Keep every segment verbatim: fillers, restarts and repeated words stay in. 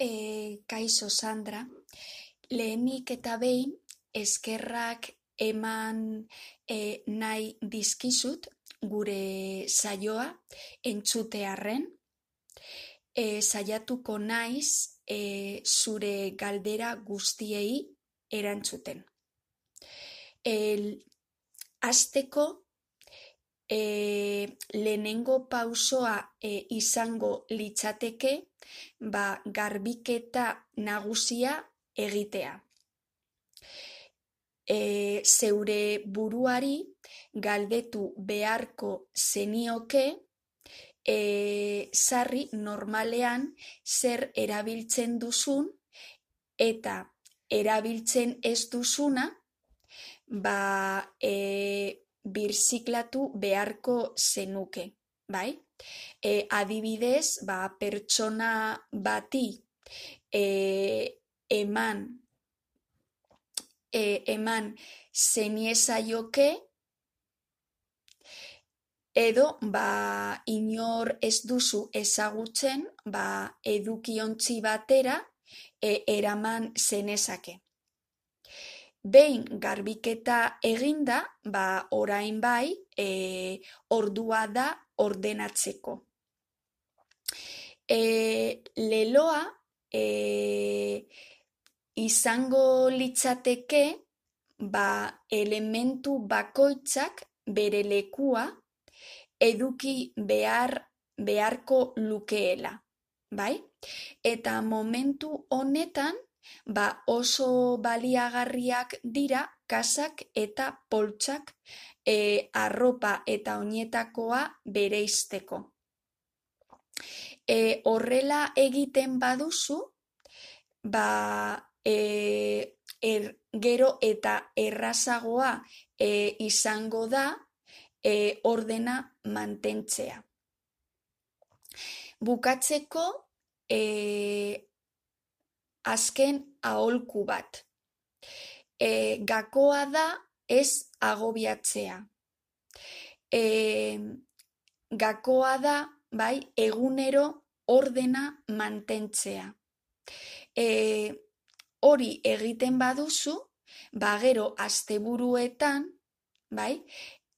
E, kaixo Sandra, lehenik eta behin eskerrak eman e, nahi dizkizut gure saioa entzutearren. E, saiatuko naiz e, zure galdera guztiei erantzuten. El, Hasteko e, lehenengo pausoa e, izango litzateke ba, garbiketa nagusia egitea. E, zeure buruari galdetu beharko zenioke e, sarri normalean zer erabiltzen duzun eta erabiltzen ez duzuna ba, e, birziklatu beharko zenuke, bai? E, adibidez, ba, pertsona bati e, eman e, eman zeniezaioke edo ba, inor ez duzu ezagutzen ba, edukiontzi batera e, eraman zenezake. Behin garbiketa eginda, ba, orain bai, e, ordua da ordenatzeko. E, leloa e, izango litzateke ba, elementu bakoitzak bere lekua eduki behar, beharko lukeela, bai? Eta momentu honetan ba, oso baliagarriak dira kasak eta poltsak e, arropa eta oinetakoa bereizteko. E, horrela egiten baduzu, ba, e, er, gero eta errazagoa e, izango da e, ordena mantentzea. Bukatzeko, e, azken aholku bat. E, gakoa da ez agobiatzea. E, gakoa da, bai, egunero ordena mantentzea. E, hori egiten baduzu, ba gero asteburuetan, bai,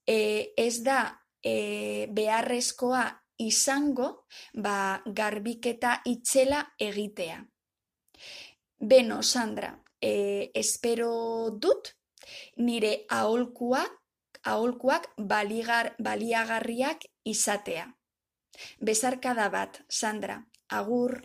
e, ez da e, beharrezkoa izango, ba, garbiketa itzela egitea. Beno, Sandra, e, espero dut nire aholkuak, aholkuak baligar, baliagarriak izatea. Besarkada bat, Sandra, agur.